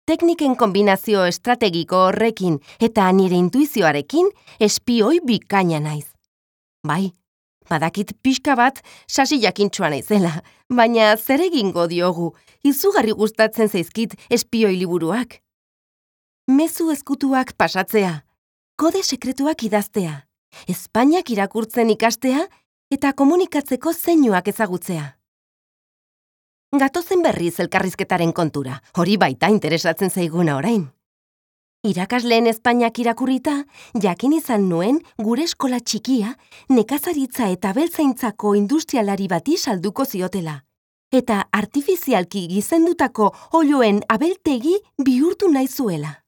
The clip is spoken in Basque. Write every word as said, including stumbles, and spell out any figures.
Tekniken kombinazio estrategiko horrekin eta nire intuizioarekin espioi bikaina naiz. Bai, badakit pixka bat sasi jakintxua naizela, baina zer egingo diogu, izugarri gustatzen zaizkit espioi liburuak. Mezu ezkutuak pasatzea, kode sekretuak idaztea, Espainiak irakurtzen ikastea eta komunikatzeko zeinuak ezagutzea. Gatozen berriz elkarrizketaren kontura, hori baita interesatzen zaiguna orain. Irakasleen Espainiak irakurrita, jakin izan nuen gure eskola txikia nekazaritza eta abeltzaintzako industrialari bati salduko ziotela, eta artifizialki gizendutako oiloen abeltegi bihurtu nahi zuela.